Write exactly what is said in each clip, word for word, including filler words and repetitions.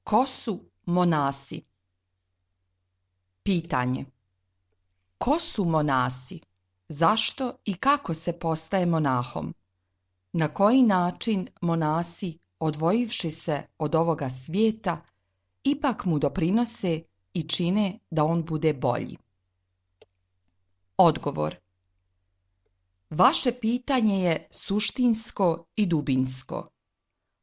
Ko su monasi? Pitanje. Ko su monasi? Zašto i kako se postaje monahom? Na koji način monasi, odvojivši se od ovoga svijeta, ipak mu doprinose i čine da on bude bolji? Odgovor. Vaše pitanje je suštinsko i dubinsko.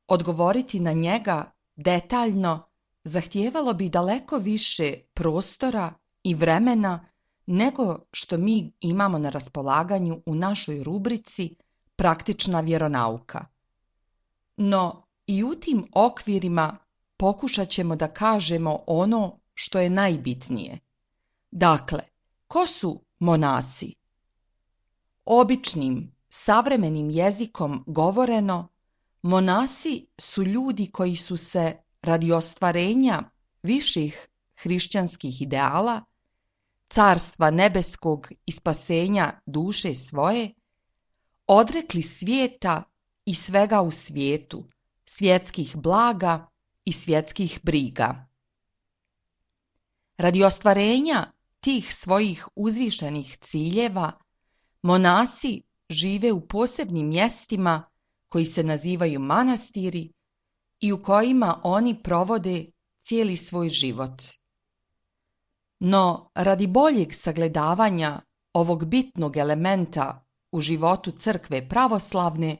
Odgovoriti na njega detaljno zahtijevalo bi daleko više prostora i vremena nego što mi imamo na raspolaganju u našoj rubrici Praktična vjeronauka. No i u tim okvirima pokušat ćemo da kažemo ono što je najbitnije. Dakle, ko su monasi? Običnim, savremenim jezikom govoreno, monasi su ljudi koji su se radi ostvarenja viših hrišćanskih ideala, carstva nebeskog i spasenja duše svoje, odrekli svijeta i svega u svijetu, svjetskih blaga i svjetskih briga. Radi ostvarenja tih svojih uzvišenih ciljeva, monasi žive u posebnim mjestima koji se nazivaju manastiri i u kojima oni provode cijeli svoj život. No, radi boljeg sagledavanja ovog bitnog elementa u životu crkve pravoslavne,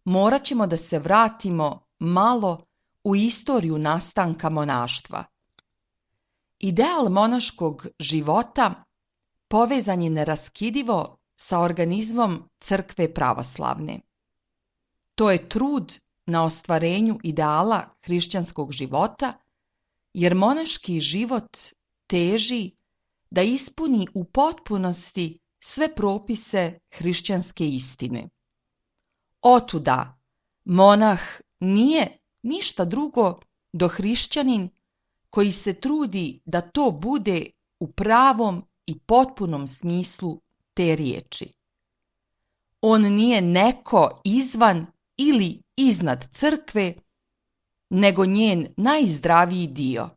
morat ćemo da se vratimo malo u istoriju nastanka monaštva. Ideal monaškog života povezan je neraskidivo sa organizmom crkve pravoslavne. To je trud na ostvarenju ideala hrišćanskog života, jer monaški život teži da ispuni u potpunosti sve propise hrišćanske istine. Otuda, monah nije ništa drugo do hrišćanin koji se trudi da to bude u pravom i potpunom smislu te riječi. On nije neko izvan ili iznad crkve, nego njen najzdraviji dio.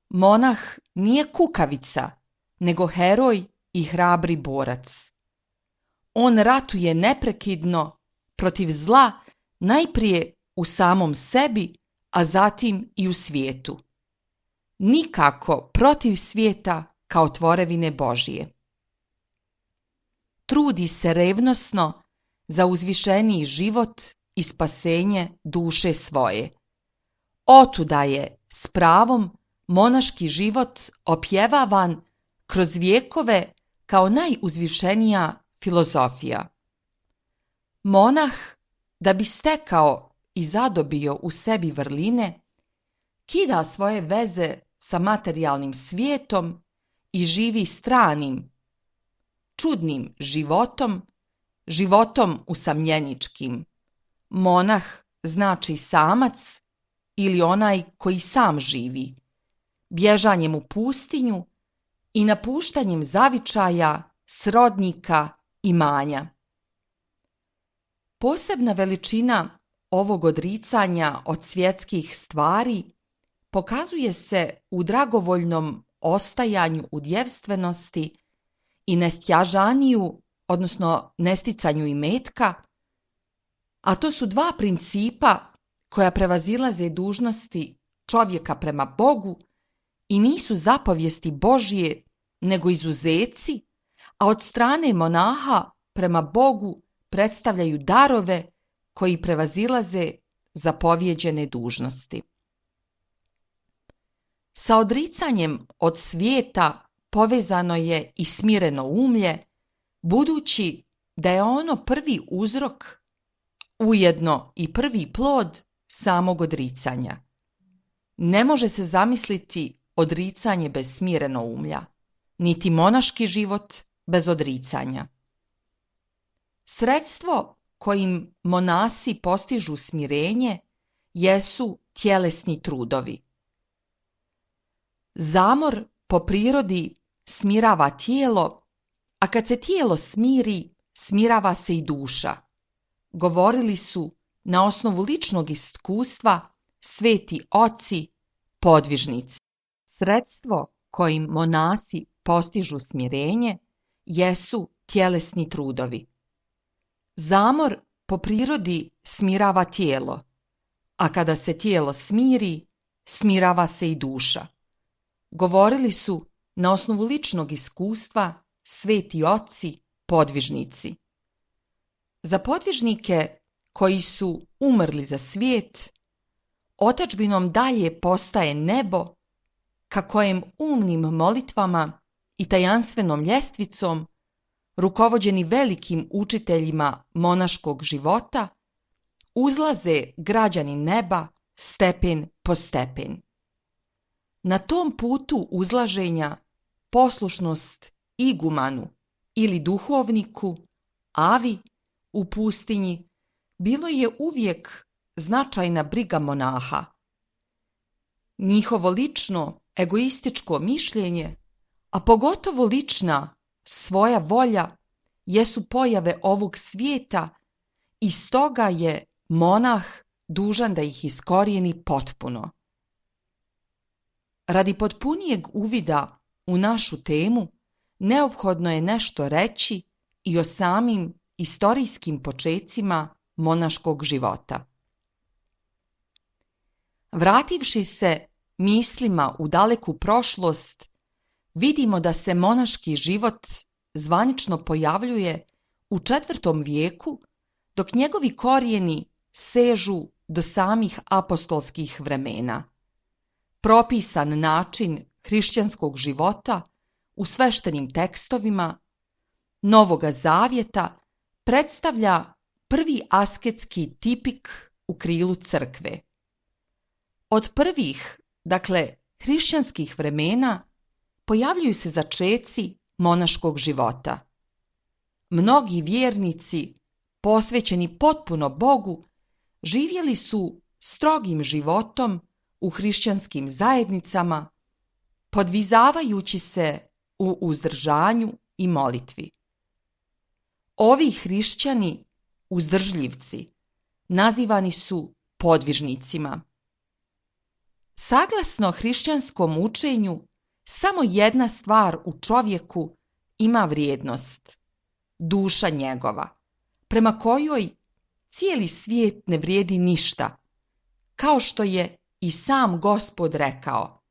Monah nije kukavica, nego heroj i hrabri borac. On ratuje neprekidno protiv zla najprije u samom sebi, a zatim i u svijetu. Nikako protiv svijeta kao tvorevine Božije. Trudi se revnosno za uzvišeniji život i spasenje duše svoje. Otuda je s pravom monaški život opjevavan kroz vjekove kao najuzvišenija filozofija. Monah, da bi stekao i zadobio u sebi vrline, kida svoje veze sa materijalnim svijetom i živi stranim, čudnim životom, životom usamljeničkim. Monah znači samac ili onaj koji sam živi, bježanjem u pustinju i napuštanjem zavičaja, srodnika, imanja. Posebna veličina ovog odricanja od svjetskih stvari pokazuje se u dragovoljnom ostajanju u djevstvenosti i nestjažaniju, odnosno nesticanju imetka, a to su dva principa koja prevazilaze dužnosti čovjeka prema Bogu i nisu zapovijesti Božije, nego izuzeci, a od strane monaha prema Bogu predstavljaju darove koji prevazilaze zapovjeđene dužnosti. Sa odricanjem od svijeta povezano je i smireno umlje, budući da je ono prvi uzrok, ujedno i prvi plod samog odricanja. Ne može se zamisliti odricanje bez smireno umlja, niti monaški život bez odricanja. Sredstvo kojim monasi postižu smirenje jesu tjelesni trudovi. Zamor po prirodi smirava tijelo, a kad se tijelo smiri, smirava se i duša. Govorili su na osnovu ličnog iskustva sveti oci, podvižnici. Sredstvo kojim monasi postižu smirenje jesu tjelesni trudovi. Zamor po prirodi smirava tijelo, a kada se tijelo smiri, smirava se i duša. Govorili su na osnovu ličnog iskustva sveti oci, podvižnici. Za podvižnike koji su umrli za svijet, otadžbinom dalje postaje nebo, ka kojem umnim molitvama i tajanstvenom ljestvicom, rukovođeni velikim učiteljima monaškog života, uzlaze građani neba stepen po stepen. Na tom putu uzlaženja poslušnost igumanu ili duhovniku, avi u pustinji, bilo je uvijek značajna briga monaha. Njihovo lično, egoističko mišljenje, a pogotovo lična svoja volja, jesu pojave ovog svijeta i stoga je monah dužan da ih iskorijeni potpuno. Radi potpunijeg uvida u našu temu, neophodno je nešto reći i o samim istorijskim počecima monaškog života. Vrativši se mislima u daleku prošlost, vidimo da se monaški život zvanično pojavljuje u četvrtom vijeku, dok njegovi korijeni sežu do samih apostolskih vremena. Propisan način hrišćanskog života u sveštenim tekstovima Novoga zavjeta predstavlja prvi asketski tipik u krilu crkve. Od prvih, dakle, hrišćanskih vremena pojavljuju se začeci monaškog života. Mnogi vjernici, posvećeni potpuno Bogu, živjeli su strogim životom u hrišćanskim zajednicama, podvizavajući se u uzdržanju i molitvi. Ovi hrišćani, uzdržljivci, nazivani su podvižnicima. Saglasno hrišćanskom učenju, samo jedna stvar u čovjeku ima vrijednost, duša njegova, prema kojoj cijeli svijet ne vrijedi ništa, kao što je i sam Gospod rekao: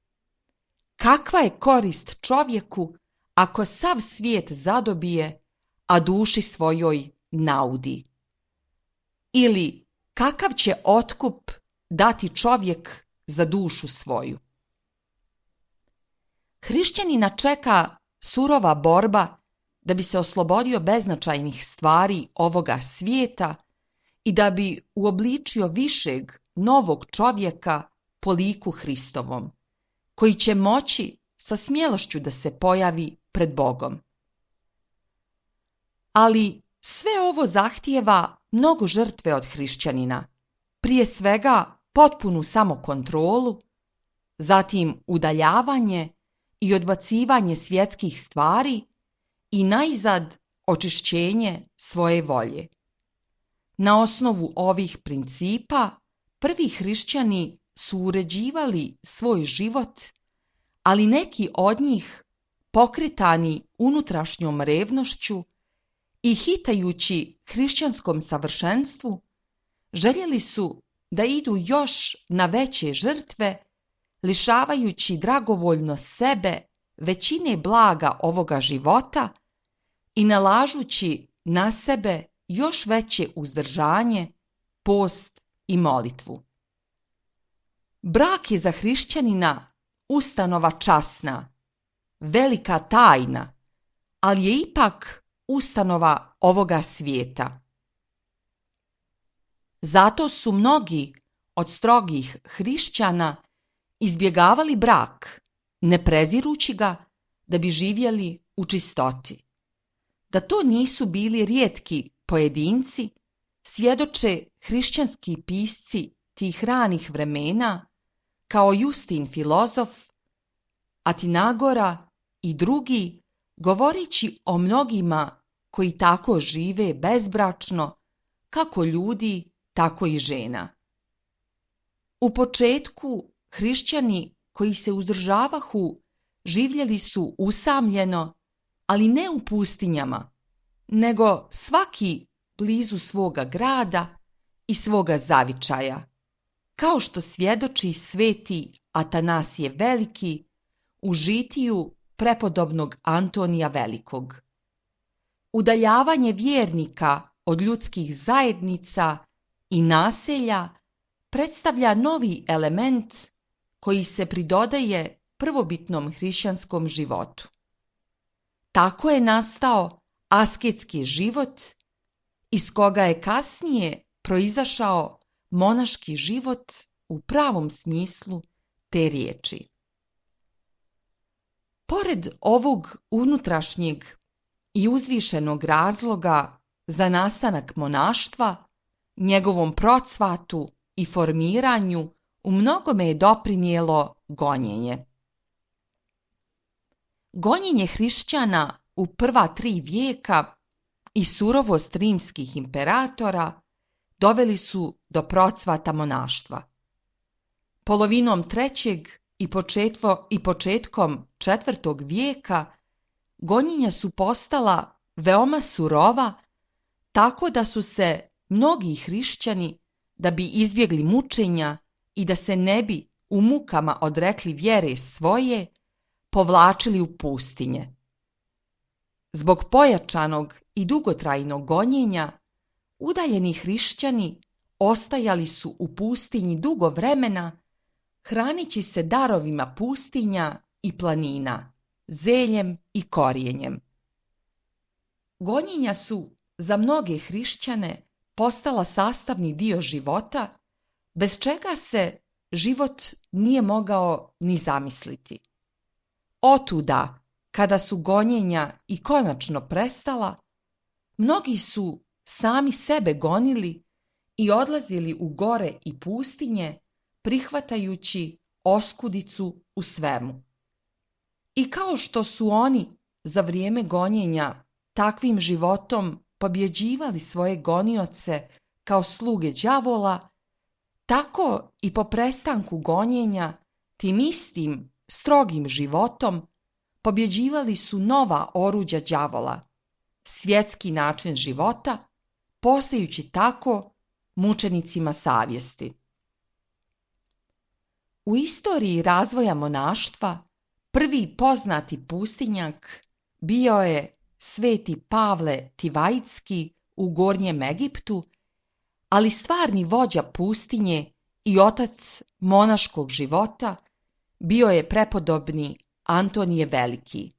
kakva je korist čovjeku ako sav svijet zadobije, a duši svojoj naudi? Ili kakav će otkup dati čovjek za dušu svoju? Hrišćanina čeka surova borba da bi se oslobodio beznačajnih stvari ovoga svijeta i da bi uobličio višeg, novog čovjeka po liku Hristovom, koji će moći sa smjelošću da se pojavi pred Bogom. Ali sve ovo zahtijeva mnogo žrtve od hrišćanina, prije svega potpunu samokontrolu, zatim udaljavanje i odbacivanje svjetskih stvari i najzad očišćenje svoje volje. Na osnovu ovih principa prvi hrišćani su uređivali svoj život, ali neki od njih, pokretani unutrašnjom revnošću i hitajući hrišćanskom savršenstvu, željeli su da idu još na veće žrtve, lišavajući dragovoljno sebe većine blaga ovoga života i nalažući na sebe još veće uzdržanje, post i molitvu. Brak je za hrišćanina ustanova časna, velika tajna, ali je ipak ustanova ovoga svijeta. Zato su mnogi od strogih hrišćana izbjegavali brak, ne prezirući ga, da bi živjeli u čistoti. Da to nisu bili rijetki pojedinci, svjedoče hrišćanski pisci tih ranih vremena, kao Justin filozof, Atinagora i drugi, govoreći o mnogima koji tako žive bezbračno, kako ljudi, tako i žena. U početku hrišćani koji se uzdržavahu živjeli su usamljeno, ali ne u pustinjama, nego svaki blizu svoga grada i svoga zavičaja, kao što svjedoči sveti Atanasije Veliki u žitiju prepodobnog Antonija Velikog. Udaljavanje vjernika od ljudskih zajednica i naselja predstavlja novi element koji se pridodaje prvobitnom hrišćanskom životu. Tako je nastao asketski život, iz koga je kasnije proizašao monaški život u pravom smislu te riječi. Pored ovog unutrašnjeg i uzvišenog razloga za nastanak monaštva, njegovom procvatu i formiranju u mnogome je doprinijelo gonjenje. Gonjenje hrišćana u prva tri vijeka i surovost rimskih imperatora doveli su do procvata monaštva. Polovinom trećeg i, početvo, i početkom četvrtog vijeka gonjenja su postala veoma surova, tako da su se mnogi hrišćani, da bi izbjegli mučenja i da se ne bi u mukama odrekli vjere svoje, povlačili u pustinje. Zbog pojačanog i dugotrajnog gonjenja, udaljeni hrišćani ostajali su u pustinji dugo vremena, hranići se darovima pustinja i planina, zeljem i korijenjem. Gonjenja su za mnoge hrišćane postala sastavni dio života, bez čega se život nije mogao ni zamisliti. Otuda, kada su gonjenja i konačno prestala, mnogi su sami sebe gonili i odlazili u gore i pustinje, prihvatajući oskudicu u svemu. I kao što su oni za vrijeme gonjenja takvim životom pobjeđivali svoje gonioce kao sluge đavola, tako i po prestanku gonjenja tim istim strogim životom pobjeđivali su nova oruđa đavola, svjetski način života, postajući tako mučenicima savjesti. U istoriji razvoja monaštva prvi poznati pustinjak bio je sveti Pavle Tivajitski u Gornjem Egiptu, ali stvarni vođa pustinje i otac monaškog života bio je prepodobni Antonije Veliki,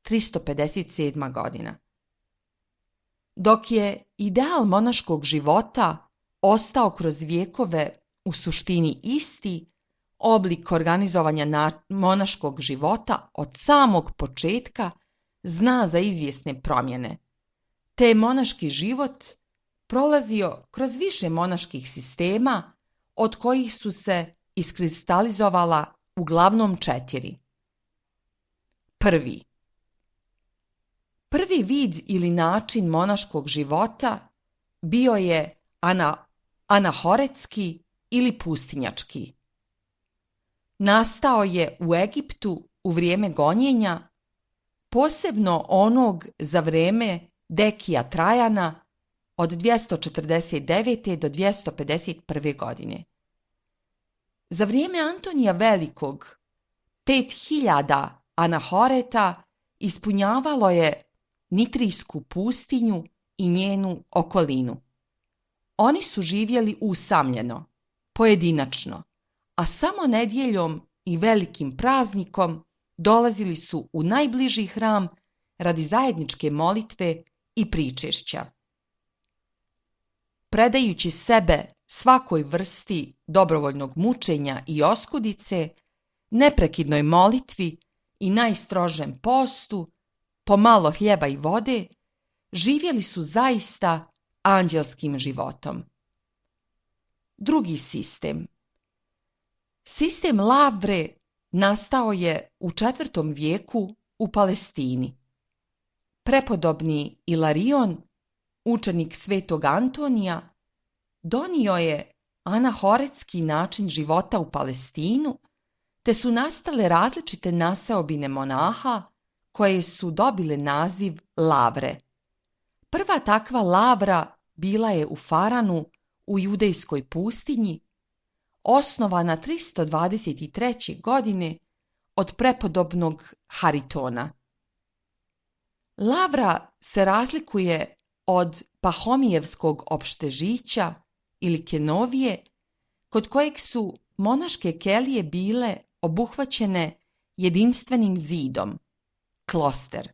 tristo pedeset sedma godina. Dok je ideal monaškog života ostao kroz vjekove u suštini isti, oblik organizovanja na monaškog života od samog početka zna za izvjesne promjene, te je monaški život prolazio kroz više monaških sistema, od kojih su se iskristalizovala uglavnom četiri. Prvi. Prvi vid ili način monaškog života bio je ana, anahoretski ili pustinjački. Nastao je u Egiptu u vrijeme gonjenja, posebno onog za vrijeme Dekija Trajana od dvjesto četrdeset devete do dvjesto pedeset prve godine. Za vrijeme Antonija Velikog pet hiljada anahoreta ispunjavalo je Nitrijsku pustinju i njenu okolinu. Oni su živjeli usamljeno, pojedinačno, a samo nedjeljom i velikim praznikom dolazili su u najbliži hram radi zajedničke molitve i pričešća. Predajući sebe svakoj vrsti dobrovoljnog mučenja i oskudice, neprekidnoj molitvi i najstrožem postu, po malo hljeba i vode, živjeli su zaista anđelskim životom. Drugi sistem. Sistem lavre nastao je u četvrtom vijeku u Palestini. Prepodobni Ilarion, učenik svetog Antonija, donio je anahoretski način života u Palestinu, te su nastale različite naseobine monaha koje su dobile naziv lavre. Prva takva lavra bila je u Faranu u judejskoj pustinji, osnovana tristo dvadeset treće. godine od prepodobnog Haritona. Lavra se razlikuje od Pahomijevskog opštežića ili Kenovije, kod kojeg su monaške kelije bile obuhvaćene jedinstvenim zidom, kloster.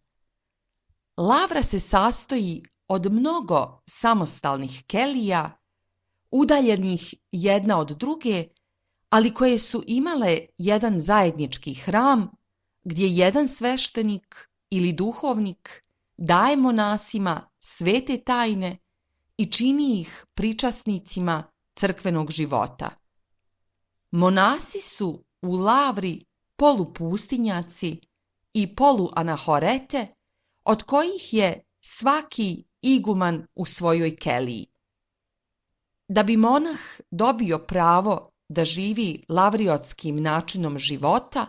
Lavra se sastoji od mnogo samostalnih kelija, udaljenih jedna od druge, ali koje su imale jedan zajednički hram, gdje jedan sveštenik ili duhovnik daje monasima svete tajne i čini ih pričasnicima crkvenog života. Monasi su u lavri polupustinjaci i poluanahorete, od kojih je svaki iguman u svojoj keliji. Da bi monah dobio pravo da živi lavriotskim načinom života,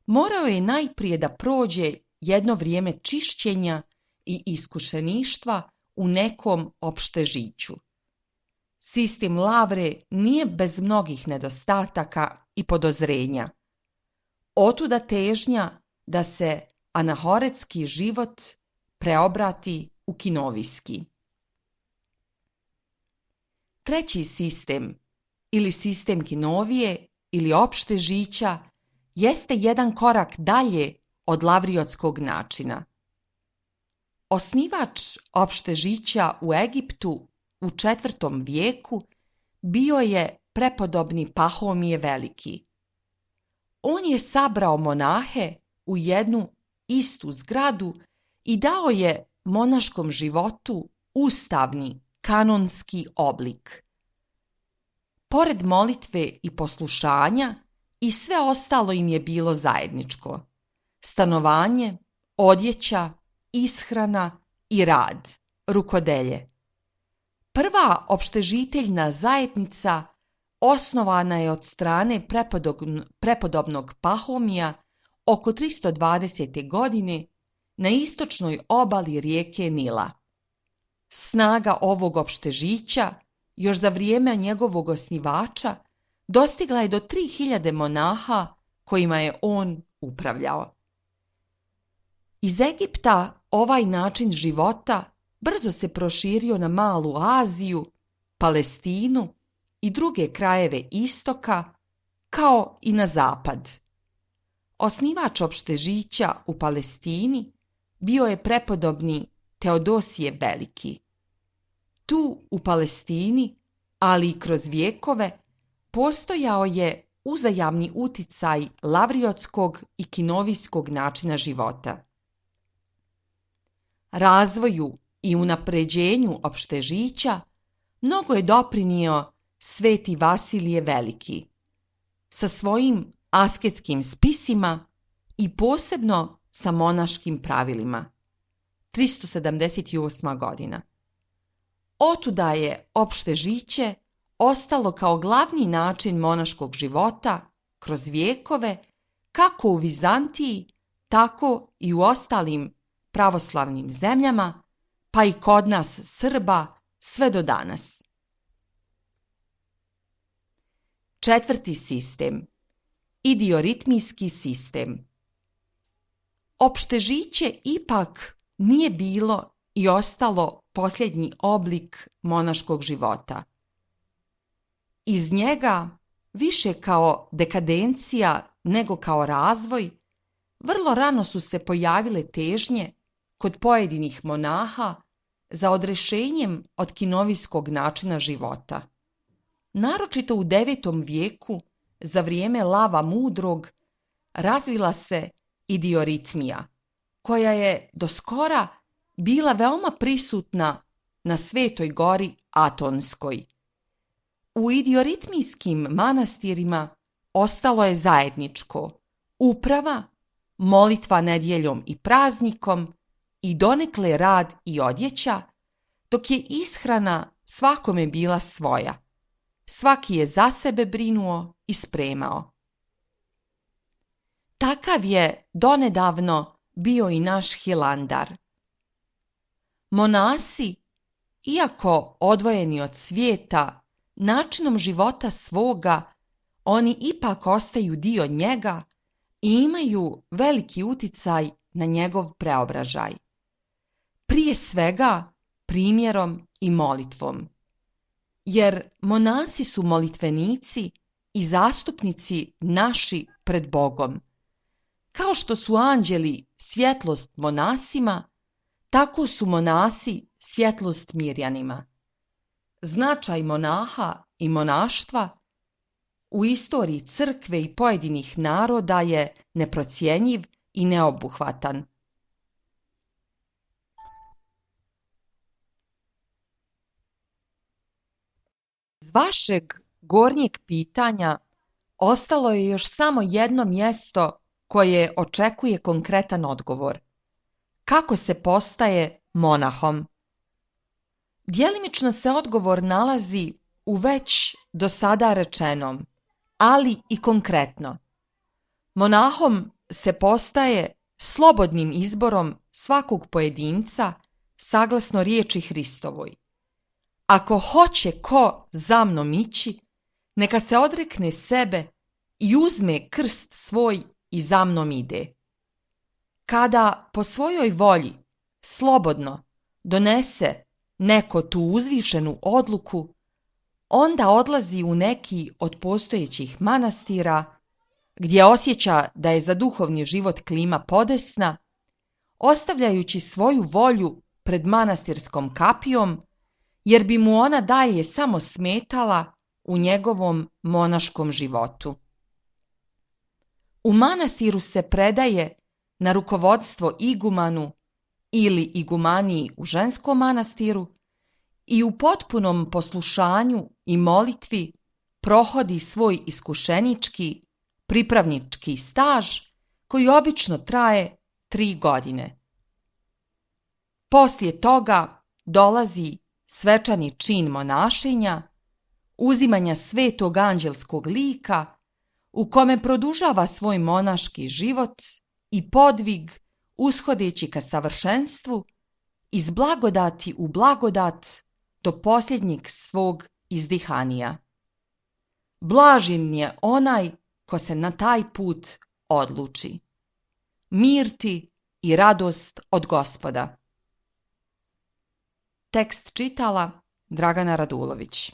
morao je najprije da prođe jedno vrijeme čišćenja i iskušeništva u nekom opštežiću. Sistem lavre nije bez mnogih nedostataka i podozrenja. Otuda težnja da se anahoretski život preobrati u kinovijski. Treći sistem, ili sistem kinovije ili opštežića, jeste jedan korak dalje od lavriotskog načina. Osnivač opštežića u Egiptu u četvrtom vijeku bio je prepodobni Pahomije Veliki. On je sabrao monahe u jednu istu zgradu i dao je monaškom životu ustavni, kanonski oblik. Pored molitve i poslušanja, i sve ostalo im je bilo zajedničko: stanovanje, odjeća, ishrana i rad, rukodelje. Prva opštežiteljna zajednica osnovana je od strane prepodobnog Pahomija oko tristo dvadesete. godine na istočnoj obali rijeke Nila. Snaga ovog opštežića još za vrijeme njegovog osnivača dostigla je do tri hiljade monaha kojima je on upravljao. Iz Egipta ovaj način života brzo se proširio na Malu Aziju, Palestinu i druge krajeve istoka, kao i na zapad. Osnivač opštežića u Palestini bio je prepodobni Teodosije Veliki. Tu u Palestini, ali i kroz vjekove, postojao je uzajamni uticaj lavriotskog i kinovijskog načina života. Razvoju i unapređenju opštežića mnogo je doprinio sveti Vasilije Veliki sa svojim asketskim spisima i posebno sa monaškim pravilima. tristo sedamdeset osma. godina. Otuda je opštežiće ostalo kao glavni način monaškog života kroz vjekove, kako u Vizantiji, tako i u ostalim pravoslavnim zemljama, pa i kod nas Srba sve do danas. Četvrti sistem, idioritmijski sistem. Opštežiće ipak nije bilo i ostalo posljednji oblik monaškog života. Iz njega, više kao dekadencija nego kao razvoj, vrlo rano su se pojavile težnje kod pojedinih monaha za odrešenjem od kinovijskog načina života. Naročito u devetom vijeku, za vrijeme Lava Mudrog, razvila se idioritmija, koja je do skora bila veoma prisutna na Svetoj gori Atonskoj. U idioritmijskim manastirima ostalo je zajedničko uprava, molitva nedjeljom i praznikom i donekle rad i odjeća, dok je ishrana svakome bila svoja. svaki je za sebe brinuo i spremao. Takav je donedavno bio i naš Hilandar. Monasi, iako odvojeni od svijeta, načinom života svoga, oni ipak ostaju dio njega i imaju veliki uticaj na njegov preobražaj. Prije svega primjerom i molitvom. Jer monasi su molitvenici i zastupnici naši pred Bogom. Kao što su anđeli svjetlost monasima, tako su monasi svjetlost Mirjanima. Značaj monaha i monaštva u istoriji crkve i pojedinih naroda je neprocjenjiv i neobuhvatan. Iz vašeg gornjeg pitanja ostalo je još samo jedno mjesto koje očekuje konkretan odgovor. Kako se postaje monahom? Djelimično se odgovor nalazi u već do sada rečenom, ali i konkretno. Monahom se postaje slobodnim izborom svakog pojedinca saglasno riječi Hristovoj. Ako hoće ko za mnom ići, neka se odrekne sebe i uzme krst svoj i za mnom ide. Kada po svojoj volji slobodno donese neko tu uzvišenu odluku, onda odlazi u neki od postojećih manastira, gdje osjeća da je za duhovni život klima podesna, ostavljajući svoju volju pred manastirskom kapijom, jer bi mu ona dalje samo smetala u njegovom monaškom životu. U manastiru se predaje na rukovodstvo igumanu ili igumaniji u ženskom manastiru i u potpunom poslušanju i molitvi prohodi svoj iskušenički, pripravnički staž koji obično traje tri godine. Poslije toga dolazi svečani čin monašenja, uzimanja svetog anđelskog lika u kome produžava svoj monaški život i podvig ushodeći ka savršenstvu iz blagodati u blagodat do posljednjeg svog izdihanija. Blažen je onaj ko se na taj put odluči. Mir ti i radost od Gospoda. Tekst čitala Dragana Radulović.